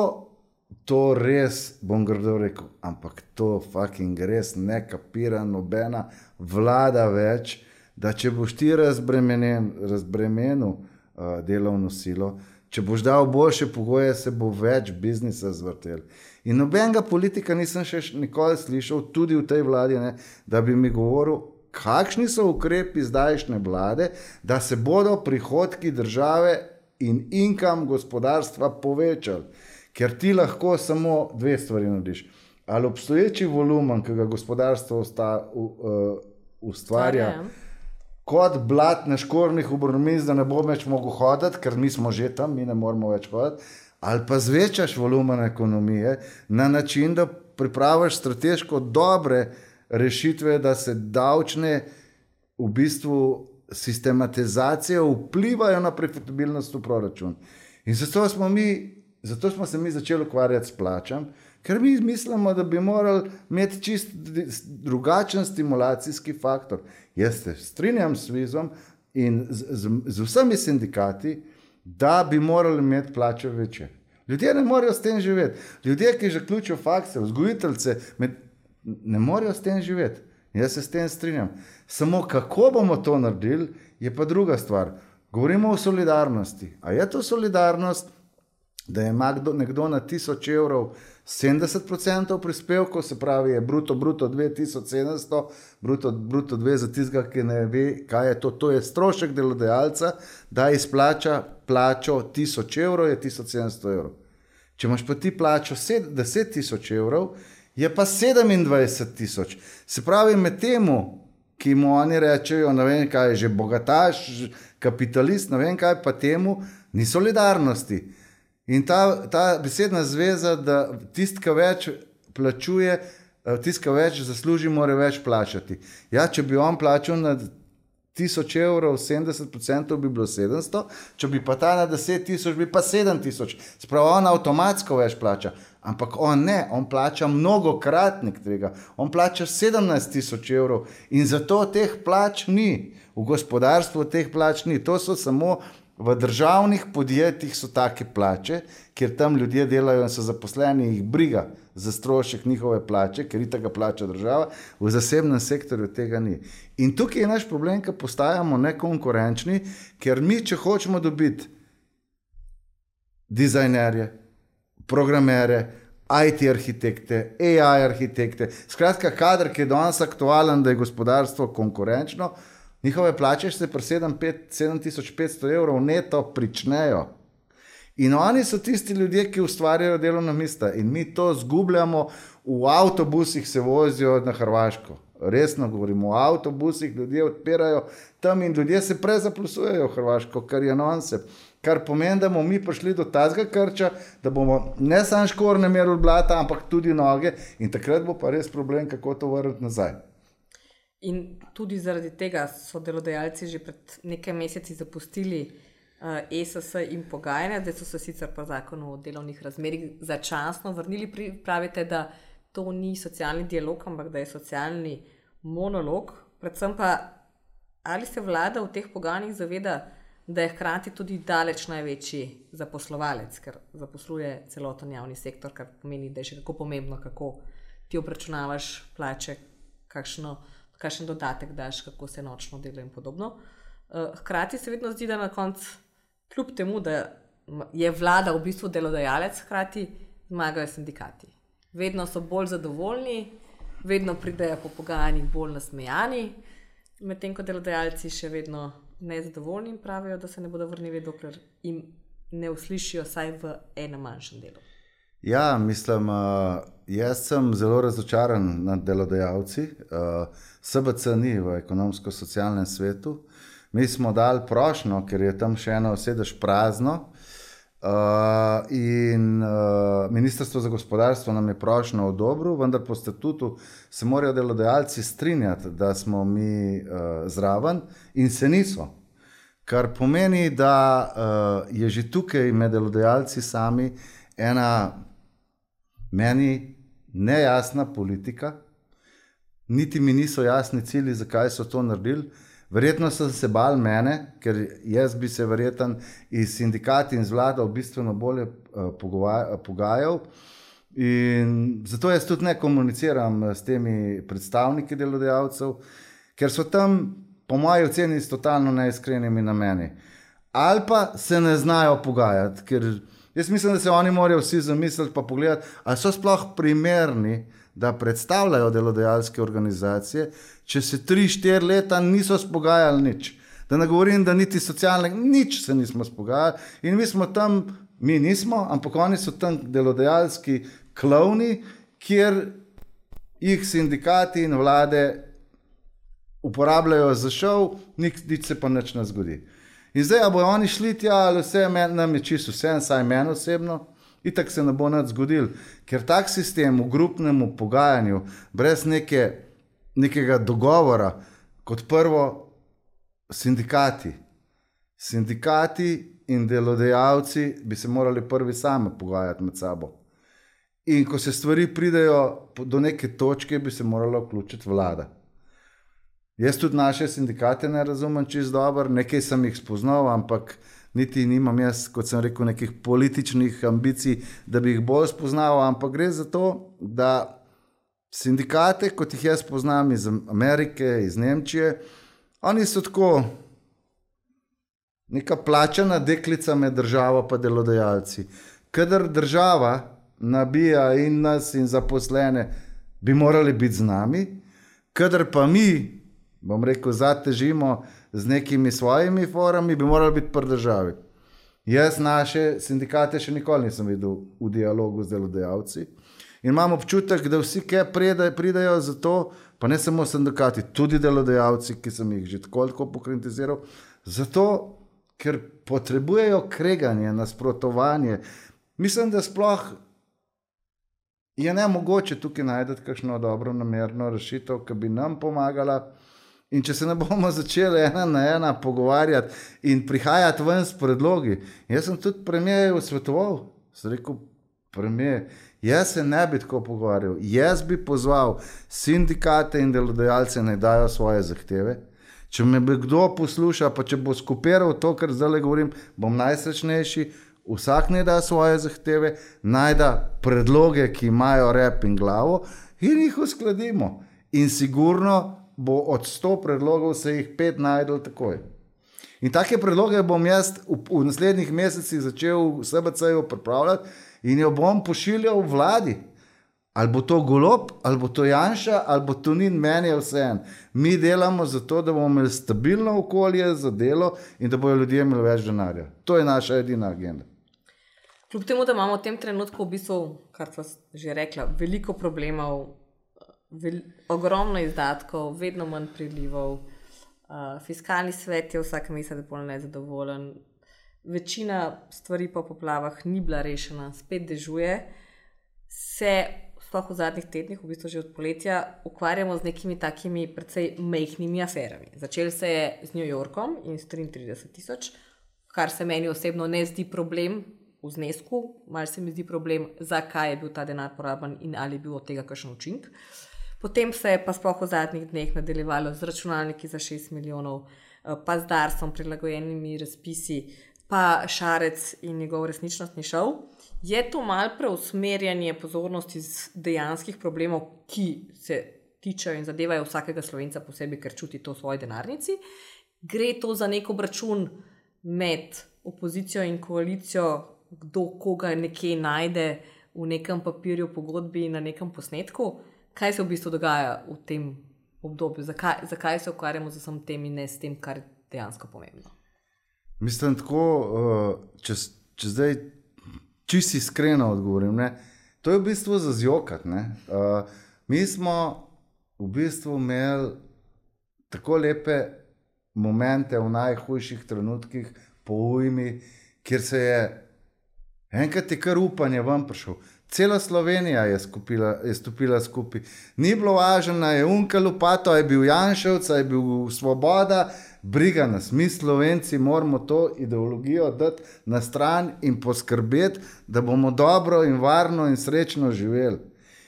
to res, bom grdo rekel, ampak to fucking res ne kapira nobena vlada več, da če boš ti razbremenil uh, delovno silo, če boš dal boljše pogoje, se bo več biznisa zvrtel. In nobenega politika nisem še nikoli slišal, tudi v tej vladi, ne, da bi mi govoril, kakšni so ukrepi zdajšnje vlade, da se bodo prihodki države in income gospodarstva povečali. Ker ti lahko samo dve stvari narediš. Ali obstoječi volumen, ki ga gospodarstvo usta, uh, ustvarja, kot blat na škornjih obrmiz, da ne bo več mogel hoditi, ker mi smo že tam, mi ne moramo več hoditi, ali pa zvečaš volumen ekonomije na način, da pripraviš strateško dobre rešitve, da se davčne v bistvu sistematizacije vplivajo na profitabilnost v proračun. In zato smo, mi, zato smo se mi začeli ukvarjati s plačam, ker mi mislimo, da bi morali imeti čist drugačen stimulacijski faktor. Jaz se strinjam s Vizom in z, z, z vsemi sindikati, da bi morali imeti plače večje. Ljudje ne morejo s tem živeti. Ljudje, ki zaključijo fakse, vzgojiteljce, med, ne morejo s tem živeti. Jaz se s tem strinjam. Samo kako bomo to naredili, je pa druga stvar. Govorimo o solidarnosti. A je to solidarnost, da ima nekdo na tisoč evrov sedemdeset procentov prispevkov, se pravi je bruto, bruto dve tisoč sedemsto, bruto, bruto dve za tistega, ki ne ve, kaj je to. To je strošek delodajalca, da izplača plačo tisoč evrov, je tisoč sedemsto evrov. Če imaš pa ti plačo deset tisoč evrov, je pa sedemindvajset tisoč. Se pravi, med temu, ki mu oni rečejo, ne vem kaj, že bogataš, kapitalist, ne vem kaj, pa temu ni solidarnosti. In ta, ta besedna zveza, da tisti, ki več plačuje, tisti, ki več zasluži, mora več plačati. Ja, če bi on plačal na tisoč evrov, sedemdeset procentov bi bilo sedemsto, če bi pa ta na deset tisoč, bi pa sedem tisoč. Spravo on avtomatsko več plača. Ampak on ne, on plača mnogokratnik tega. On plača sedemnajst tisoč evrov in zato teh plač ni. V gospodarstvu teh plač ni. To so samo v državnih podjetjih so take plače, kjer tam ljudje delajo in so zaposleni, jih briga za strošek njihove plače, ker i tega plača država, v zasebnem sektorju tega ni. In tukaj je naš problem, ker postajamo nekonkurenčni, ker mi, če hočemo dobiti dizajnerje, programere, I T arhitekte, A I arhitekte, skratka kader, ki je danes aktualen, da je gospodarstvo konkurenčno, njihove plače se pri sedem tisoč petsto evrov neto pričnejo. In oni so tisti ljudje, ki ustvarjajo delovna mesta. In mi to zgubljamo, v avtobusih se vozijo na Hrvaško. Resno govorimo, v avtobusih ljudje odpirajo tam in ljudje se prezaplusujejo v Hrvaško, kar je nonse. Kar pomeni, da bomo mi prišli do tazga krča, da bomo ne samo škorne merili blata, ampak tudi noge. In takrat bo pa res problem, kako to vrniti nazaj. In tudi zaradi tega so delodajalci že pred nekaj meseci zapustili uh, E S S in pogajanja, zdaj so se sicer po zakonu o delovnih razmerjih začasno vrnili, pri, pravite, da to ni socialni dialog, ampak da je socialni monolog. Predvsem pa, ali se vlada v teh pogajanjih zaveda, da je hkrati tudi daleč največji zaposlovalec, ker zaposluje celoten javni sektor, kar pomeni, da je še kako pomembno, kako ti obračunavaš plače, kakšno kakšen dodatek daš, kako se nočno dela in podobno. Hkrati se vedno zdi, da na koncu, kljub temu, da je vlada v bistvu delodajalec, hkrati zmagajo sindikati. Vedno so bolj zadovoljni, vedno pridejo po pogajanjih bolj nasmejani, medtem ko delodajalci še vedno nezadovoljni in pravijo, da se ne bodo vrnili, dokler jim ne uslišijo saj v enem manjšem delu. Ja, mislim, jaz sem zelo razočaran nad delodajalci. S B C ni v ekonomsko-socialnem svetu. Mi smo dali prošnjo, ker je tam še eno sedež prazno. In Ministrstvo za gospodarstvo nam je prošnjo odobrilo, vendar po statutu se morajo delodajalci strinjati, da smo mi zraven in se niso. Kar pomeni, da je že tukaj med delodajalci sami ena meni nejasna politika, niti mi niso jasni cilji, zakaj so to naredili. Verjetno so se bali mene, ker jaz bi se verjetno iz sindikati in z vlado bistveno bolje uh, pogajal. In zato jaz tudi ne komuniciram s temi predstavniki delodajalcev, ker so tam, po moji oceni, s totalno neiskrenimi nameni. Ali pa se ne znajo pogajati, ker jaz mislim, da se oni morajo vsi zamisliti pa pogledati, ali so sploh primerni, da predstavljajo delodajalske organizacije, če se tri, štiri leta niso spogajali nič. Da ne govorim, da niti socialne, nič se nismo spogajali in mi smo tam, mi nismo, ampak oni so tam delodajalski klovni, kjer jih sindikati in vlade uporabljajo za šov, nič, nič se pa nič ne zgodi. In zdaj, a bojo oni šli tja, ali vse nam je čisto vse, saj meni osebno, itak se ne bo nič zgodil, ker tak sistem v grupnem pogajanju, brez neke, nekega dogovora, kot prvo sindikati. Sindikati in delodajalci bi se morali prvi sami pogajati med sabo. In ko se stvari pridejo do neke točke, bi se morala vključiti vlada. Jaz tudi naše sindikate ne razumem čisto dobro, nekaj sem jih spoznal, ampak niti nimam jaz, kot sem rekel, nekih političnih ambicij, da bi jih bolj spoznal, ampak gre za to, da sindikate, kot jih jaz poznam iz Amerike, iz Nemčije, oni so tako neka plačana deklica med državo pa delodajalci. Kadar država nabija in nas in zaposlene, bi morali biti z nami, kadar pa mi, bom rekel, zatežimo z nekimi svojimi forami, bi morali biti pri državi. Jaz naše sindikate še nikoli nisem videl v dialogu z delodajalci In imam občutek, da vsi, ki pridajo za to, pa ne samo sindikati, tudi delodajalci, ki sem jih že tako tako pokritiziral, zato, ker potrebujejo kreganje, nasprotovanje. Mislim, da sploh je nemogoče tukaj najti kakšno dobro namerno rešitev, ki bi nam pomagala. In če se ne bomo začeli ena na ena pogovarjati in prihajati ven s predlogi, jaz sem tudi premijerju svetoval, sem rekel, premijer, jaz se ne bi tako pogovarjal, jaz bi pozval sindikate in delodajalce, naj dajo svoje zahteve. Če me bi kdo posluša, pa če bo skopiral to, kar zdaj govorim, bom najsrečnejši, vsak naj da svoje zahteve, naj da predloge, ki imajo rep in glavo in jih uskladimo. In sigurno bo od sto predlogov se jih pet najdel takoj. In take predloge bom jaz v, v naslednjih mesecih začel v S B C-ju pripravljati in jo bom pošiljal v vladi. Ali bo to Golob, ali bo to Janša, ali bo Tonin, meni je vseeno. Mi delamo zato, da bomo imeli stabilno okolje za delo in da bojo ljudje imeli več denarja. To je naša edina agenda. Kljub temu, da imamo v tem trenutku v bistvu, kar sva že rekla, veliko problemov, vel, ogromno izdatkov, vedno manj prilivov, uh, fiskalni svet je vsak mesec bolj nezadovoljen, večina stvari po poplavah ni bila rešena, spet dežuje, se sploh v zadnjih tednih, v bistvu že od poletja, ukvarjamo z nekimi takimi precej majhnimi aferami. Začel se je z New Yorkom in s triintrideset tisoč, kar se meni osebno ne zdi problem v znesku, malo se mi zdi problem, zakaj je bil ta denar poraben in ali je bil od tega kakšen učinek. Potem se je pa sploh v zadnjih dneh nadaljevalo z računalniki za šest milijonov, pa z Darsom, prilagojenimi razpisi, pa Šarec in njegov resničnostni šov. Je to malo preusmerjanje pozornosti z dejanskih problemov, ki se tičejo in zadevajo vsakega Slovenca posebej, ker čuti to v svoji denarnici. Gre to za nek obračun med opozicijo in koalicijo, kdo koga nekje najde v nekem papirju, pogodbi in na nekem posnetku. Kaj se v bistvu dogaja v tem obdobju? Zakaj, zakaj se ukvarjamo z vsem tem in ne s tem, kar je dejansko pomembno? Mislim tako, če, če zdaj čisto iskreno odgovorim, ne? To je v bistvu za zjokat. Ne? Mi smo v bistvu imeli tako lepe momente v najhujših trenutkih po ujmi, kjer se je enkrat je kar upanje ven prišel. Cela Slovenija je, skupila, je stopila skupaj. Ni bilo važno, je Unka Lopato, je bil Janševc, je bil Svoboda, briga nas. Mi Slovenci moramo to ideologijo dati na stran in poskrbeti, da bomo dobro in varno in srečno živeli.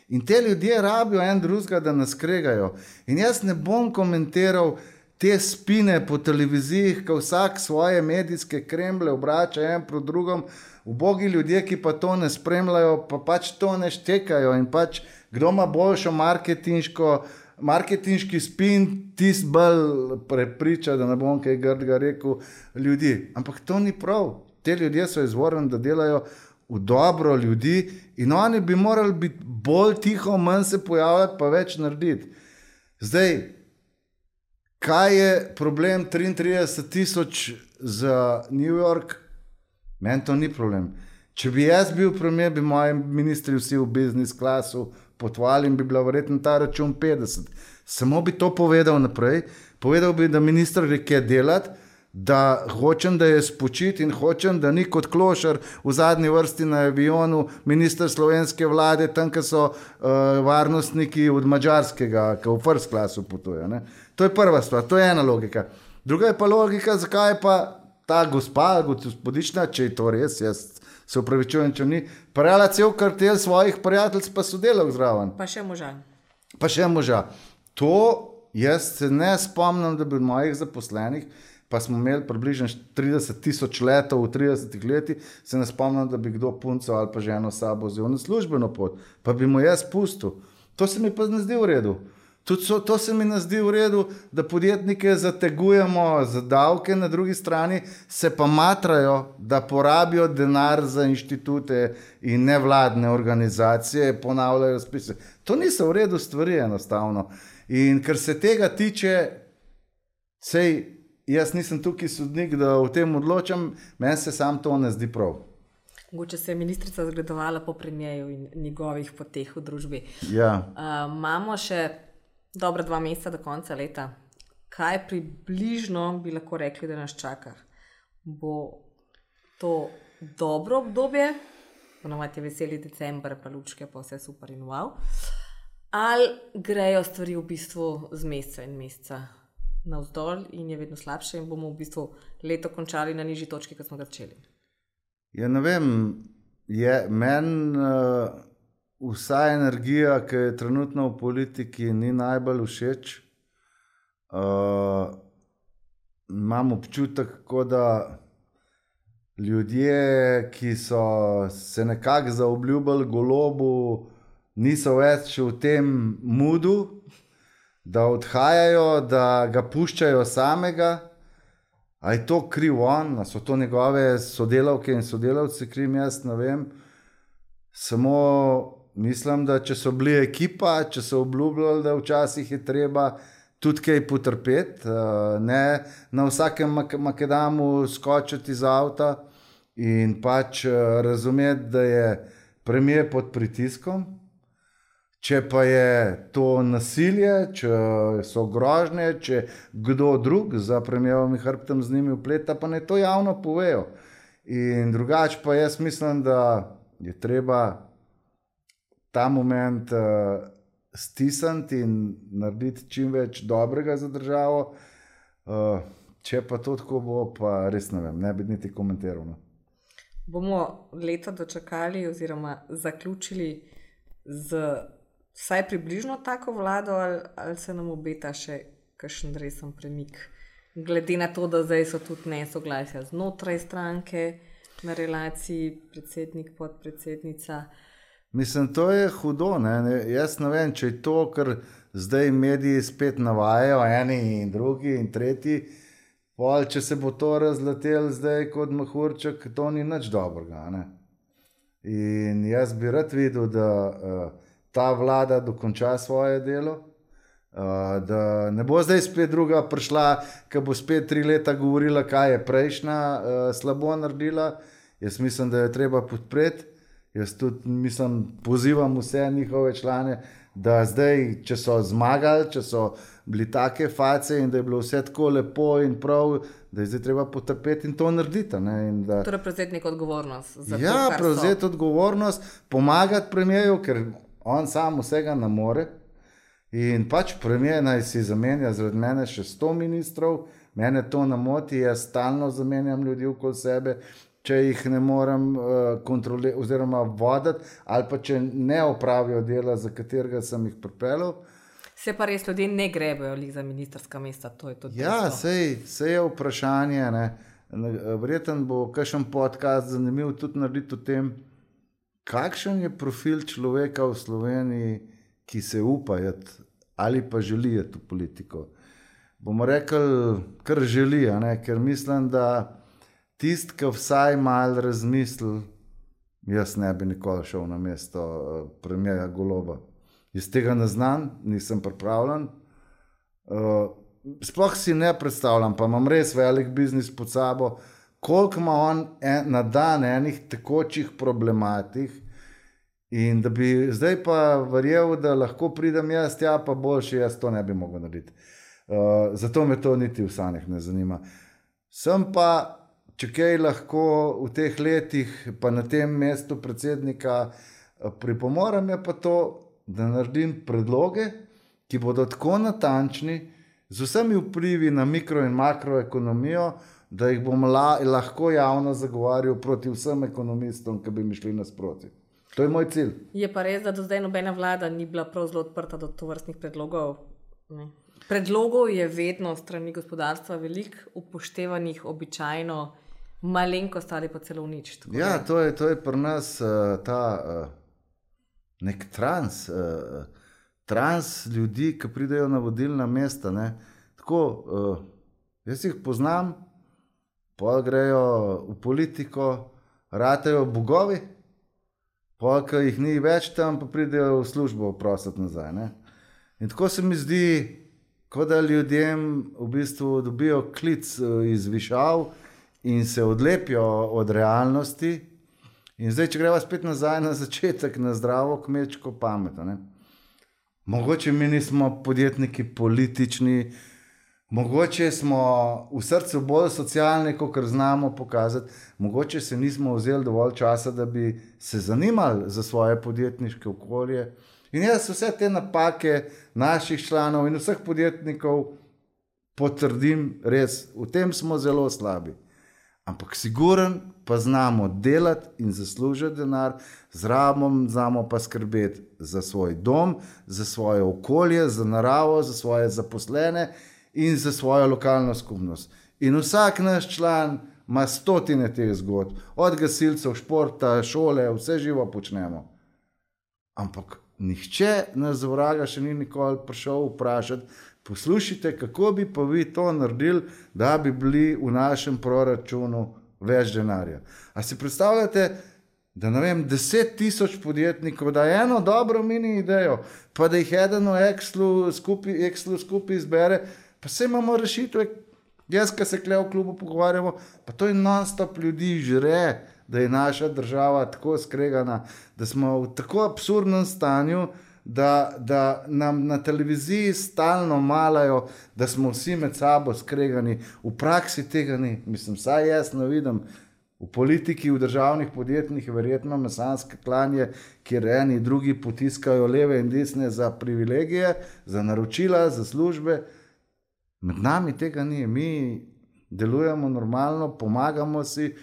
In te ljudje rabijo en drugega, da nas kregajo. In jaz ne bom komentiral te spine po televizijih, ko vsak svoje medijske kremble obrača en pro drugom, ubogi ljudje, ki pa to ne spremljajo, pa pač to ne štekajo in pač kdo ima boljšo marketinško, marketinški spin, tis bolj prepriča, da ne bom kaj grdega rekel, ljudi. Ampak to ni prav. Te ljudje so izvorni, da delajo v dobro ljudi in oni bi morali biti bolj tiho, manj se pojavljati, pa več narediti. Zdaj, kaj je problem triintrideset tisoč za New York? Meni to ni problem. Če bi jaz bil premier, bi moji ministri vsi v biznis klasu potovali in bi bila verjetno ta račun petdeset. Samo bi to povedal naprej. Povedal bi, da minister reke delati, da hočem, da je spočit in hočem, da ni kot klošar v zadnji vrsti na avionu minister slovenske vlade, tam, ki so uh, varnostniki od mađarskega, ki v first klasu potuje. Ne? To je prva stvar, to je ena logika. Druga je pa logika, zakaj pa ta gospa, gospodična, če je to res, jaz se upravičujem, če ni, parala cel kartel svojih prijateljc pa sodelal zraven. Pa še moža. Pa še moža. To jaz se ne spomnim, da bi mojih zaposlenih, pa smo imeli približno trideset tisoč letov v tridesetih letih, se ne spomnim, da bi kdo punco ali pa ženo sabo vzel na službeno pot, pa bi mu jaz pustil. To se mi pa ne zdi v redu. Tudi so, to se mi ne zdi v redu, da podjetnike zategujemo za davke, na drugi strani se pa matrajo, da porabijo denar za inštitute in nevladne organizacije, ponavljajo spise. To niso v redu stvari enostavno. In ker se tega tiče, sej jaz nisem tukaj sodnik, da o tem odločam, meni se sam to ne zdi prav. Mogoče se je ministrica zgledovala po premijeju in njegovih poteh v družbi. Ja. Uh, imamo še dobra dva meseca do konca leta. Kaj približno bi lahko rekli, da nas čaka? Bo to dobro obdobje, ponovadi je veseli december, pa lučke, pa vse super in wow. Ali grejo stvari v bistvu z meseca in meseca navzdol in je vedno slabše in bomo v bistvu leto končali na nižji točki, kot smo ga začeli? Ja, ne vem, je meni uh, vsa energija, ki je trenutno v politiki, ni najbolj všeč. Uh, imam občutek, kot da ljudje, ki so se nekako zaobljubili Golobu, niso več v tem moodu, da odhajajo, da ga puščajo samega. A je to kriv on, a so to njegove sodelavke in sodelavci kriv, jaz ne vem. Samo mislim, da če so bili ekipa, če so obljubljali, da včasih je treba tudi kaj potrpeti, ne na vsakem makedamu skočiti iz avta in pač razumeti, da je premier pod pritiskom. Če pa je to nasilje, če so grožnje, če kdo drug za premijerovim hrbtom z njimi vpleta, pa ne to javno povejo. In drugače pa jaz mislim, da je treba ta moment uh, stisniti in narediti čim več dobrega za državo. Uh, če pa to tako bo, pa res ne vem, ne bi niti komentiral. No. Bomo leto dočakali oziroma zaključili z vsaj približno tako vlado ali, ali se nam obeta še kakšen resen premik? Glede na to, da zdaj so tudi nesoglasja znotraj stranke na relaciji predsednik, podpredsednica. Mislim, to je hudo. Ne? Jaz ne vem, če je to, ker zdaj mediji spet navajajo, eni in drugi in tretji, pol, če se bo to razletel zdaj kot mehurček, to ni nič dobrega. Ne? In jaz bi rad videl, da uh, ta vlada dokonča svoje delo, uh, da ne bo zdaj spet druga prišla, ki bo spet tri leta govorila, kaj je prejšnja uh, slabo naredila. Jaz mislim, da jo treba podpreti. Jaz tudi mislim, pozivam vse njihove člane, da zdaj, če so zmagali, če so bili take face in da je bilo vse tako lepo in prav, da je zdaj treba potrpeti in to narediti. Ne? In da, torej prevzeti neko odgovornost. Za ja, to, prevzeti odgovornost, pomagati premijeju, ker on sam vsega ne more. In pač premijer naj si zamenja zaradi mene še sto ministrov, mene to ne moti, jaz stalno zamenjam ljudi okoli sebe, če jih ne morem uh, kontrolirati oziroma voditi, ali pa če ne opravijo dela, za katerega sem jih pripeljal. Se pa res ljudje ne grebejo za ministrska mesta, to je tudi ja, sej, sej je vprašanje. Ne. Verjetno bo kakšen podcast zanimiv tudi narediti o tem, kakšen je profil človeka v Sloveniji, ki se upa jeti ali pa želi jeti v politiko. Bomo rekli, kar želi, ne? Ker mislim, da tisti, ki vsaj malo razmisli, jaz ne bi nikoli šel na mesto premijerja Goloba. Jaz tega ne znam, nisem pripravljen. Uh, sploh si ne predstavljam, pa imam res velik biznis pod sabo, koliko ima on en, na dan enih tekočih problematik in da bi zdaj pa verjel, da lahko pridem jaz, ja pa boljše, jaz to ne bi mogel narediti. Uh, zato me to niti v sanjah ne zanima. Sem pa, če kaj lahko v teh letih, pa na tem mestu predsednika pripomorem, je pa to, da naredim predloge, ki bodo tako natančni, z vsemi vplivi na mikro in makroekonomijo, da jih bom la, lahko javno zagovarjal proti vsem ekonomistom, ki bi mi šli nasproti. To je moj cilj. Je pa res, da do zdaj nobena vlada ni bila prav zelo odprta do tovrstnih predlogov. Ne. Predlogov je vedno strani gospodarstva veliko, upoštevanih običajno malenkost ali pa celo nič. Ja, to je, to je pri nas uh, ta uh, nek trans, uh, trans ljudi, ki pridejo na vodilna mesta. Ne. Tako, uh, jaz jih poznam, pol grejo v politiko, ratejo bogovi, pol, ki jih ni več tam, pa pridejo v službo prositi nazaj. Ne. In tako se mi zdi, kot da ljudem v bistvu dobijo klic iz višav in se odlepijo od realnosti In zdaj, če greva spet nazaj na začetek, na zdravo kmečko pamet. Ne? Mogoče mi nismo podjetniki politični, mogoče smo v srcu bolj socialni, kot znamo pokazati, mogoče se nismo vzeli dovolj časa, da bi se zanimali za svoje podjetniške okolje. In jaz vse te napake naših članov in vseh podjetnikov potrdim, res, v tem smo zelo slabi. Ampak siguren pa znamo delati in zaslužiti denar, zraven znamo pa skrbeti za svoj dom, za svoje okolje, za naravo, za svoje zaposlene in za svojo lokalno skupnost. In vsak naš član ima stotine teh zgodb, od gasilcev, športa, šole, vse živo počnemo. Ampak nihče nas z vraga še ni nikoli prišel vprašati, poslušajte, kako bi pa vi to naredili, da bi bili v našem proračunu več denarja. A si predstavljate, da ne vem, deset tisoč podjetnikov, da eno dobro mini idejo, pa da jih eden v Excelu skupaj, Excelu skupaj izbere, pa se imamo rešitve, jaz, ki se kle v klubu pogovarjamo, pa to je non-stop ljudi žre, da je naša država tako skregana, da smo v tako absurdnem stanju, Da, da nam na televiziji stalno malajo, da smo vsi med sabo skregani. V praksi tega ni. Mislim, saj jaz ne vidim. V politiki, v državnih podjetjih verjetno mesanske klanje, kjer eni drugi potiskajo leve in desne za privilegije, za naročila, za službe. Med nami tega ni. Mi delujemo normalno, pomagamo si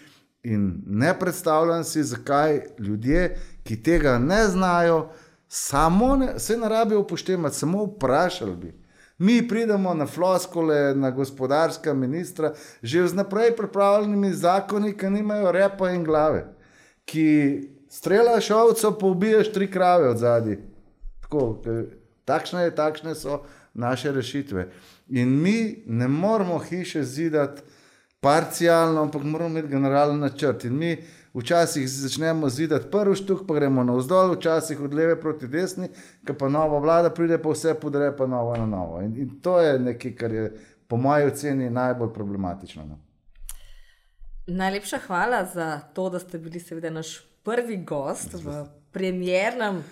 in ne predstavljam si, zakaj ljudje, ki tega ne znajo, samo ne, se ne rabi upoštevati, samo vprašali bi. Mi pridemo na floskole, na gospodarska ministra, že z naprej pripravljenimi zakoni, ki nimajo repa in glave, ki streljaš ovco, pa ubiješ tri krave od zadaj. Tako, takšne, takšne so naše rešitve. In mi ne moramo hiše zidati parcialno, ampak moramo imeti generalni načrt. In mi včasih začnemo zidati prvi štuk, pa gremo navzdol, včasih od leve proti desni, ko pa nova vlada pride, pa vse podre, pa novo na novo. In, in to je nekaj, kar je po moji oceni najbolj problematično. No? Najlepša hvala za to, da ste bili seveda naš prvi gost v premiernem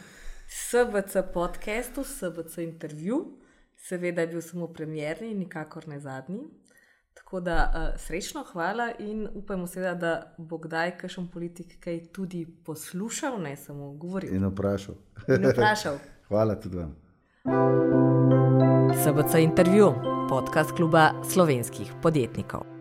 S B C podcastu, S B C intervju. Seveda je bil samo premierni, nikakor ne zadnji. Tako da uh, srečno, hvala in upajmo seveda, da bo kdaj kakšen politik kaj tudi poslušal, ne samo govoril. In vprašal. In vprašal. Hvala tudi vam. S B C intervju, podcast kluba slovenskih podjetnikov.